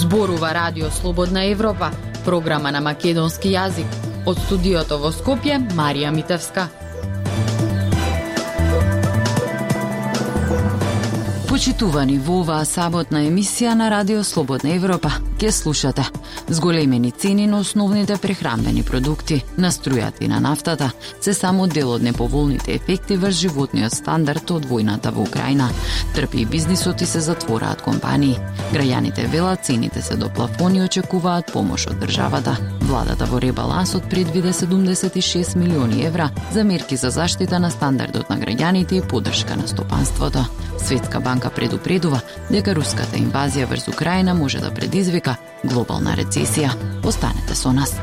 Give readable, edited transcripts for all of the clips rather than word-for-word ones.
Зборува Радио Слободна Европа, програма на македонски јазик. Од студиото во Скопје, Марија Митевска. Почитувани во оваа саботна емисија на Радио Слободна Европа, ке слушате зголемени цени на основните прехранбени продукти, на струјата и на нафтата, се само дел од неповолните ефекти врз животниот стандард од војната во Украина. Трпи и бизнисот и се затвораат компании. Граѓаните велат цените се до плафон и очекуваат помош од државата. Владата во ребалансот предвиде 76 милиони евра за мерки за заштита на стандардот на граѓаните и поддршка на стопанството. Светска банка предупредува дека руската инвазија врз Украина може да предизвика глобална рецесија. Останете со нас.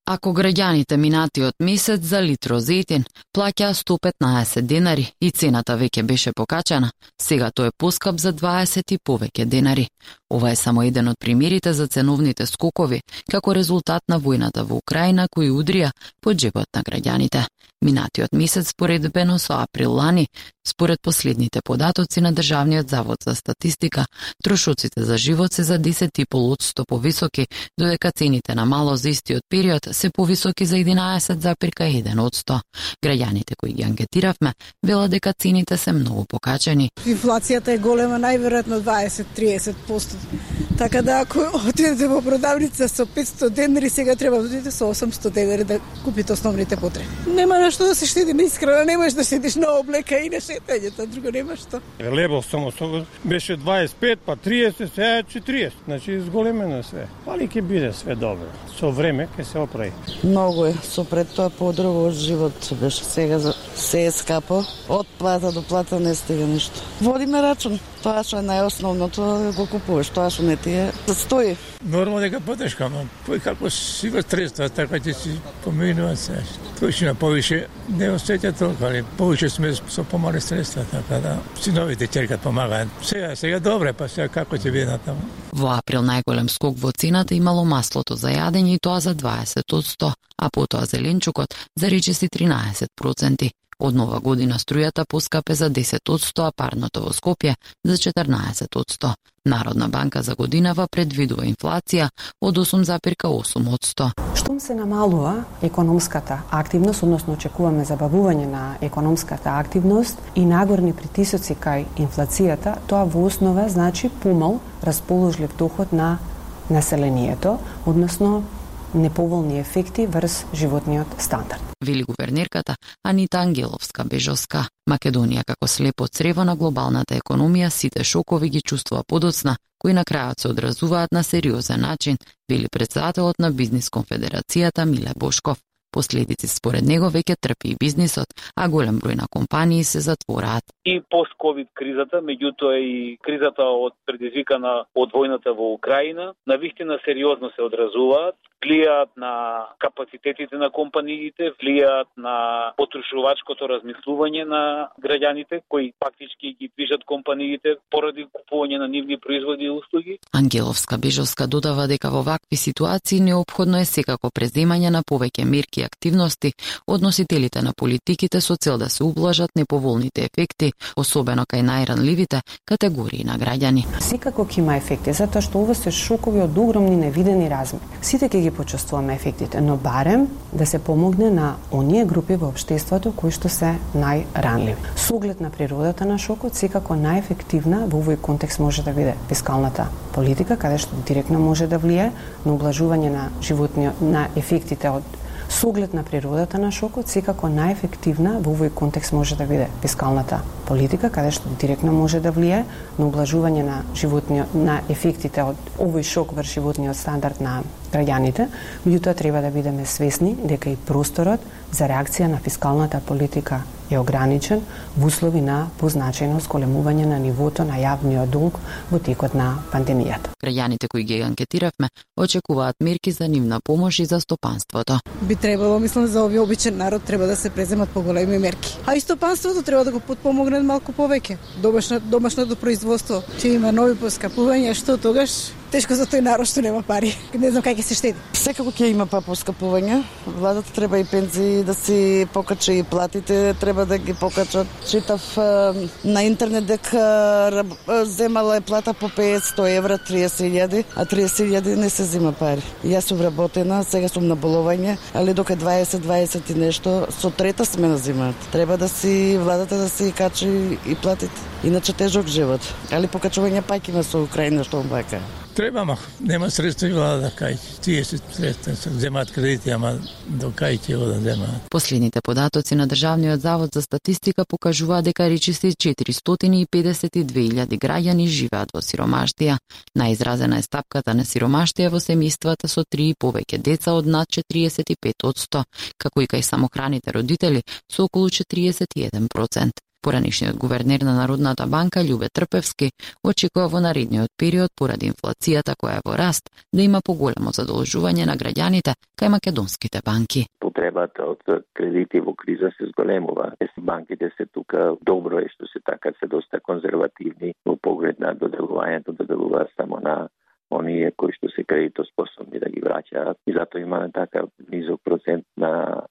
Ако граѓаните минатиот месец за литро зетин плаќаа 115 денари и цената веќе беше покачана, сега тој е поскап за 20 и повеќе денари. Ова е само еден од примерите за ценовните скокови како резултат на војната во Украина кои удрија по џебот на граѓаните. Минатиот месец споредбено со април лани, според последните податоци на Државниот завод за статистика, трошоците за живот се за 10,5% повисоки, додека цените на мало за истиот период се повисоки за 11,1%. Граѓаните кои ги анкетиравме велат дека цените се многу покачени. Инфлацијата е голема, најверојатно 20-30%. Така да ако отидете во продавница со 500 денари, сега треба да отидете со 800 денари да купите основните потреби. Нема на што да се штеди на исхрана, немаш да седиш на облека и на шетањето, друго нема што. Лебов само беше 25, па 30, сега 40. Значи зголемено све. Али ќе биде све добро. Со време ќе се оправи. Многу е, со пред тоа подруго живот беше, сега се е скапо. Од плата до плата не стига ништо. Водиме рачун. Тоа што е најосновното го купуваш, тоа што не ти е стои. Нормално дека потешка, но кој како си го средства, така ќе си поминува се. Точно повише не осеќа толку, али повише сме со помали средства, така да синовите ќеркат помагаат. Сега добре, па сега како ќе биде натаму. Во април најголем скок во цената имало маслото за јадење и тоа за 20%, а потоа зеленчукот за речиси 13%. Од нова година струјата поскапе за 10%, а парното во Скопје за 14%. Народна банка за годинава предвидува инфлација од 8,8%. Штом се намалува економската активност, односно очекуваме забавување на економската активност и нагорни притисоци кај инфлацијата, тоа во основа значи помал расположлив доход на населението, односно неповолни ефекти врз животниот стандард. Вели гувернерката Анита Ангеловска-Бежовска. Македонија како слепо црево на глобалната економија сите шокови ги чувствува подоцна, кои на крајот се одразуваат на сериозен начин, вели претседателот на Бизнис конфедерацијата Миле Бошков. Последици според него веќе трпи и бизнисот, а голем број на компании се затвораат. И пост-ковид кризата, меѓутоа и кризата предизвикана од војната во Украина, навистина сериозно се одразуваат, влијаат на капацитетите на компаниите, влијаат на потрошувачкото размислување на граѓаните, кои фактички ги движат компаниите поради купување на нивни производи и услуги. Ангеловска-Бежовска додава дека во вакви ситуации неопходно е секако преземање на повеќе мерки и активности од носителите на политиките со цел да се ублажат неповолните ефекти, особено кај најранливите категории на граѓани. Секако ќе има ефекти, затоа што ова се шокови од огромни невидени размери. Сите ќе ги почувствуваме ефектите, но барем да се помогне на оние групи во општеството кои што се најранливи. Со оглед на природата на шокот, секако најефективна во овој контекст може да биде фискалната политика, каде што директно може да влие на ублажување на животниот на ефектите од Со оглед на природата на шокот, секако најефективна во овој контекст може да биде фискалната политика, каде што директно може да влие на ублажување на животниот на ефектите од овој шок врз животниот стандард на граѓаните, меѓутоа треба да бидеме свесни дека и просторот за реакција на фискалната политика е ограничен во услови на позначајно зголемување на нивото на јавниот долг во текот на пандемијата. Граѓаните кои ги анкетиравме очекуваат мерки за нивна помош и за стопанството. Би требало, мислам, за овој обичен народ треба да се преземат поголеми мерки. А и стопанството треба да го потпомогнат малку повеќе. Домашното производство ќе има нови поскапувања, што тогаш тешко за тој народ што нема пари. Не знам кај ќе се штеди. Секако ќе има поскапување. Владата треба и пензии да си покачи и платите, треба да ги покачат. Читав на интернет дека земала е плата по 500 евра, 30.000, а 30.000 не се зема пари. Јас сум вработена, сега сум на боловање, али дока 20 и нешто, со трета смена земаат. Треба да си владата да си качи и платите. Иначе тежок живот. Али покачување пак има со Украина што бака. Треба, ама нема средства и влада да кај. Тие се средства, земаат кредити, ама до кај ќе го да земаат. Последните податоци на Државниот завод за статистика покажуваат дека речиси 452.000 граѓани живеат во сиромаштија. Наизразена е стапката на сиромаштија во семејствата со 3 и повеќе деца од над 45%, како и кај самохраните родители со околу 41%. Поранешниот гувернер на Народната банка Љубе Трпевски очекува во наредниот период поради инфлацијата која е во раст да има поголемо задолжување на граѓаните кај македонските банки. Потребата од кредити во криза се зголемува. Банките се тука добро е што се така се доста конзервативни во поглед на доделувањето, доделуваат само на оние кои што се кредитоспособни да ги враќаат и затоа имаме така низок процент на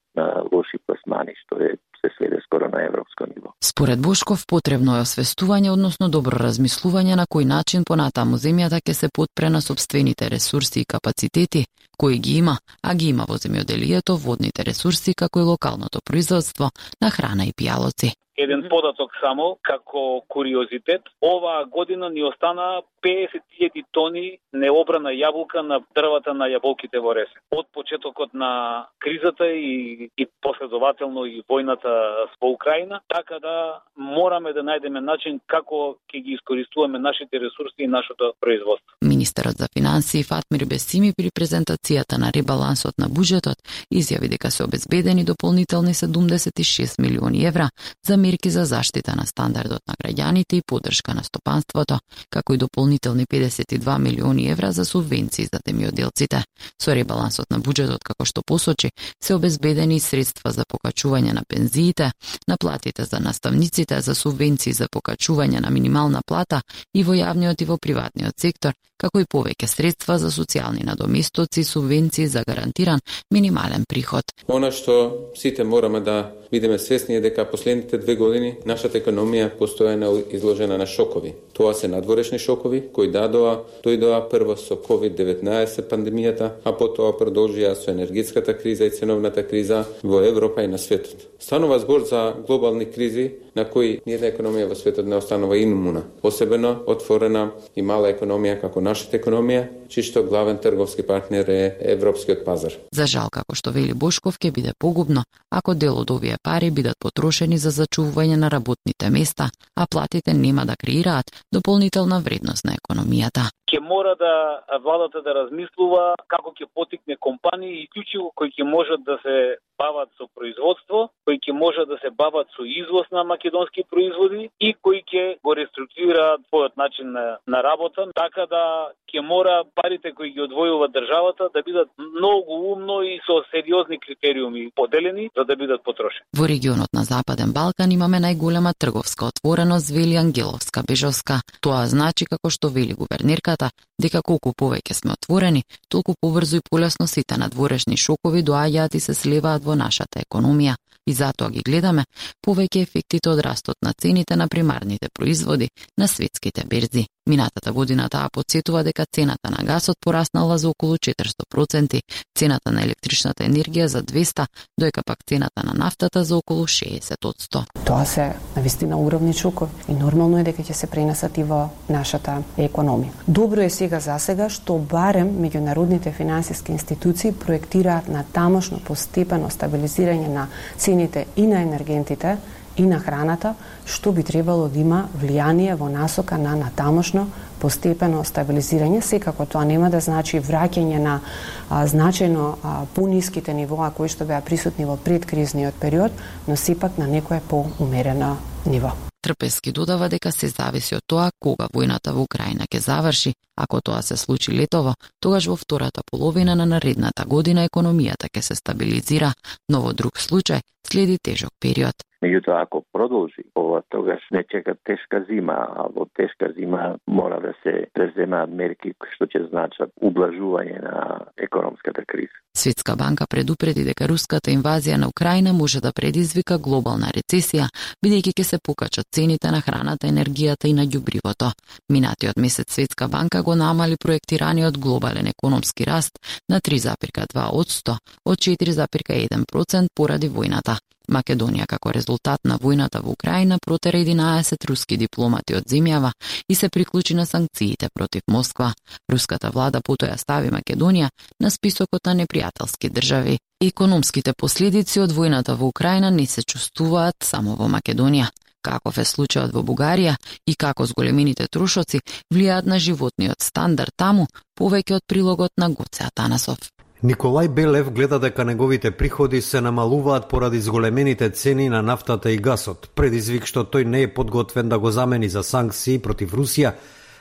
лоши пласмани што се сведе скоро на европско ниво. Според Бошков потребно е освестување, односно добро размислување на кој начин понатаму земјата ќе се потпре на сопствените ресурси и капацитети кои ги има, а ги има во земјоделието, водните ресурси како и локалното производство на храна и пијалоци. Еден податок само, како куриозитет. Оваа година ни остана 50.000 тони необрана јаболка на дрвата на јаболките во Ресе. Од почетокот на кризата и последователно и војната во Украина, така да мораме да најдеме начин како ќе ги искористуваме нашите ресурси и нашето производство. Министерот за финансии Фатмир Бесими при презентацијата на ребалансот на буџетот изјави дека се обезбедени дополнителни 76 милиони евра за мерки за заштита на стандардот на граѓаните и поддршка на стопанството, како и дополнителни 52 милиони евра за субвенции за земјоделците. Со ребалансот на буџетот, како што посочи, се обезбедени средства за покачување на пензиите, на платите за наставниците, за субвенции за покачување на минимална плата и во јавниот и во приватниот сектор, како и повеќе средства за социјални надоместоци, субвенции за гарантиран минимален приход. Она што сите мораме да бидеме свесни е дека последните 2 години нашата економија постојано изложена на шокови. Тоа се надворешни шокови кои дојдоа прво со COVID-19 пандемијата, а потоа продолжија со енергетската криза и ценовната криза во Европа и на светот. Станува збор за глобални кризи на кои ниедна економија во светот не останува имуна. Посебно отворена и мала економија како нашата економија, чишто главен трговски партнер е европскиот пазар. За жал, како што вели Бошков, ќе биде погубно ако дел од овие пари бидат потрошени за зачувување на работните места, а платите нема да креираат дополнителна вредност на економијата. Ќе мора да владата да размислува како ќе потикне компании исклучиво кои ќе можат да се бават со производство, кои ќе можат да се бават со извоз на македонски производи и кои ќе го реструктурираат својот начин на работа, така да ќе мора парите кои ги одвојува државата да бидат многу умно и со сериозни критериуми поделени за да бидат потрошени. Во регионот на Западен Балкан имаме најголема трговска отвореност, вели Ангеловска Бежовска. Тоа значи, како што вели гувернерката, дека колку повеќе сме отворени, толку побрзо и полесно сите надворешни шокови доаѓаат и се сливаат во нашата економија. И затоа ги гледаме повеќе ефектите од растот на цените на примарните производи на светските берзи. Минатата година таа потсетува дека цената на гасот пораснала за околу 400%, цената на електричната енергија за 200%, доека пак цената на нафтата за околу 60%. Тоа се навистина огромни шокови и нормално е дека ќе се пренесат и во нашата економија. Добро е за сега што барем меѓународните финансиски институции проектираат на тамошно постепено стабилизирање на цените и на енергентите и на храната, што би требало да има влијание во насока на тамошно постепено стабилизирање. Секако тоа нема да значи враќање на значајно пониските нивоа кои што беа присутни во предкризниот период, но сепак на некое поумерено ниво. Трпески додава дека се зависи од тоа кога војната во Украина ќе заврши. Ако тоа се случи летово, тогаш во втората половина на наредната година економијата ќе се стабилизира, но во друг случај следи тежок период. Меѓутоа, ако продолжи ова, тогаш не чека тешка зима, а во тешка зима мора да се преземаат мерки што ќе значат ублажување на економската криза. Светска банка предупреди дека руската инвазија на Украина може да предизвика глобална рецесија, бидејќи ќе се покачат цените на храната, енергијата и на ѓубривото. Минатиот месец Светска банка го намали проектираниот глобален економски раст на 3,2% од 4,1% поради војната. Македонија како резултат на војната во Украина протера 11 руски дипломати од земјава и се приклучи на санкциите против Москва. Руската влада потоа стави Македонија на списокот на непријателски држави. Економските последици од војната во Украина не се чувствуваат само во Македонија. Каков е случајот во Бугарија и како зголемените трошоци влијаат на животниот стандард таму, повеќе од прилогот на Гоце Атанасов. Николај Белев гледа дека неговите приходи се намалуваат поради зголемените цени на нафтата и гасот, предизвик што тој не е подготвен да го замени за санкции против Русија,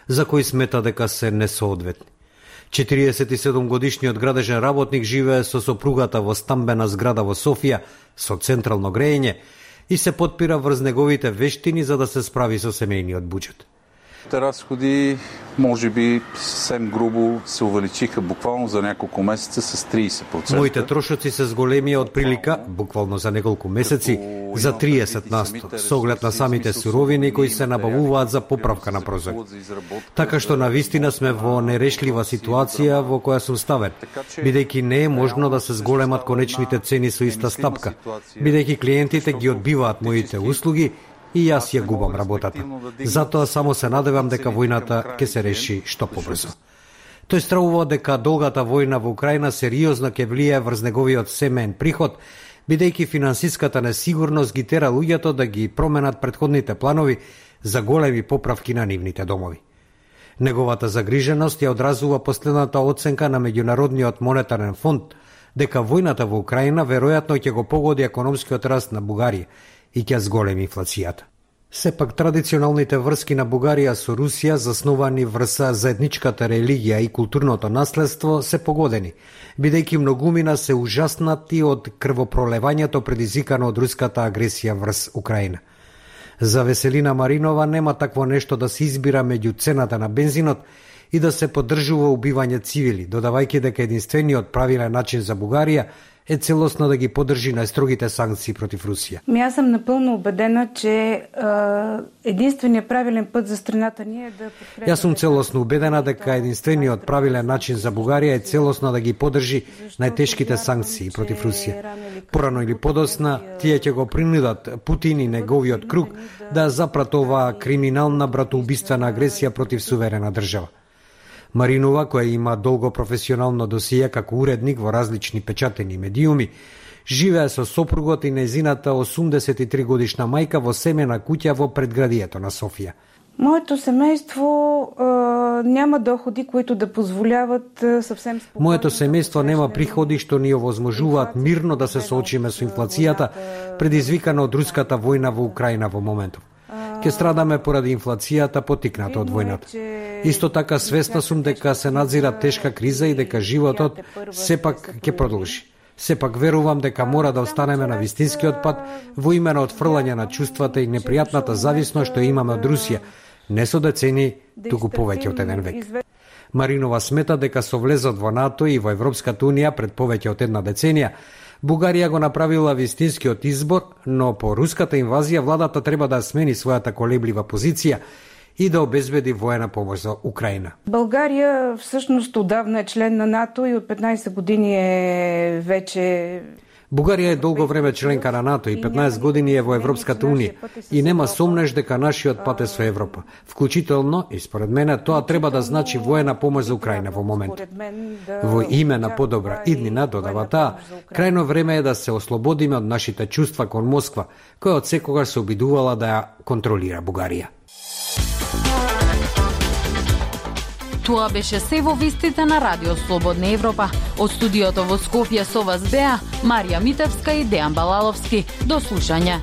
за кои смета дека се несоодветни. 47-годишниот градежен работник живее со сопругата во стамбена зграда во Софија со централно грејење и се потпира врз неговите вештини за да се справи со семејниот буџет. Разходи, може би, съвсем грубо се увеличиха буквално за няколко месеца с 30%. Моите трошоци се зголемија од прилика, буквално за неколку месеци, за 30%, со оглед на самите суровини кои се набавуваат за поправка на прозор. Така што навистина сме во нерешлива ситуација во која сум ставен, бидејќи не е можно да се зголемат конечните цени со иста стапка, бидејќи клиентите ги одбиваат моите услуги и јас ја губам работата. Затоа само се надевам дека војната ќе се реши што побрзо. Тој стравува дека долгата војна во Украина сериозно ќе влијае врз неговиот семеен приход, бидејќи финансиската несигурност ги тера луѓето да ги променат претходните планови за големи поправки на нивните домови. Неговата загриженост ја одразува последната оценка на Меѓународниот монетарен фонд дека војната во Украина веројатно ќе го погоди економскиот раст на Бугарија и ќе зголеми инфлацијата. Сепак традиционалните врски на Бугарија со Русија, засновани врз заедничката религија и културното наследство, се погодени, бидејќи многумина се ужаснати од крвопролевањето предизвикано од руската агресија врз Украина. За Веселина Маринова нема такво нешто да се избира меѓу цената на бензинот и да се поддржува убивање цивили, додавајќи дека единствениот правилен начин за Бугарија е целосно да ги поддржи најстрогите санкции против Русија. Јас сум напълно убедена, че единствениот правилен пат за страната ни е да подкрепи. Јас сум целосно убедена дека единствениот правилен начин за Бугарија е целосно да ги поддржи најтешките санкции против Русија. Порано или подосна, тие ќе го принудат Путин и неговиот круг да запрат оваа криминална братоубиствена агресија против суверена држава. Маринова, која има долго професионално досие како уредник во различни печатени медиуми, живее со сопругот и нејзината 83 годишна мајка во семена куќа во предградието на Софија. Моето семејство нема доходи кои да позволяват съвсем спокойно. Моето семејство нема приходи што ни овозможуваат мирно да се соочиме со инфлацијата предизвикана од руската војна во Украина во моментов. Ке страдаме поради инфлацијата потикната од војната. Исто така свесна сум дека се надзира тешка криза и дека животот сепак ќе продолжи. Сепак верувам дека мора да останеме на вистинскиот пат во име на отфрлање на чувствата и непријатната зависност што имаме од Русија, не со децени, туку повеќе од еден век. Маринова смета дека со влезот во НАТО и во Европската унија пред повеќе од една деценија, Бугарија го направила вистинскиот избор, но по руската инвазија владата треба да смени својата колеблива позиција и да обезбеди воена помош за Украина. България всъщност отдавна е член на НАТО и от 15 години е вече... Бугарија е долго време членка на НАТО и 15 години е во Европската унија и нема сомнеш дека нашиот пат е со Европа. Вклучително, и според мене, тоа треба да значи воена помош за Украина во момент. Во име на подобра иднина, додава таа, крајно време е да се ослободиме од нашите чувства кон Москва, која од секогаш се обидувала да ја контролира Бугарија. Тоа беше се во вестите на Радио Слободна Европа. Од студиото во Скопје со вас беа Марија Митевска и Дејан Балаловски. До слушање.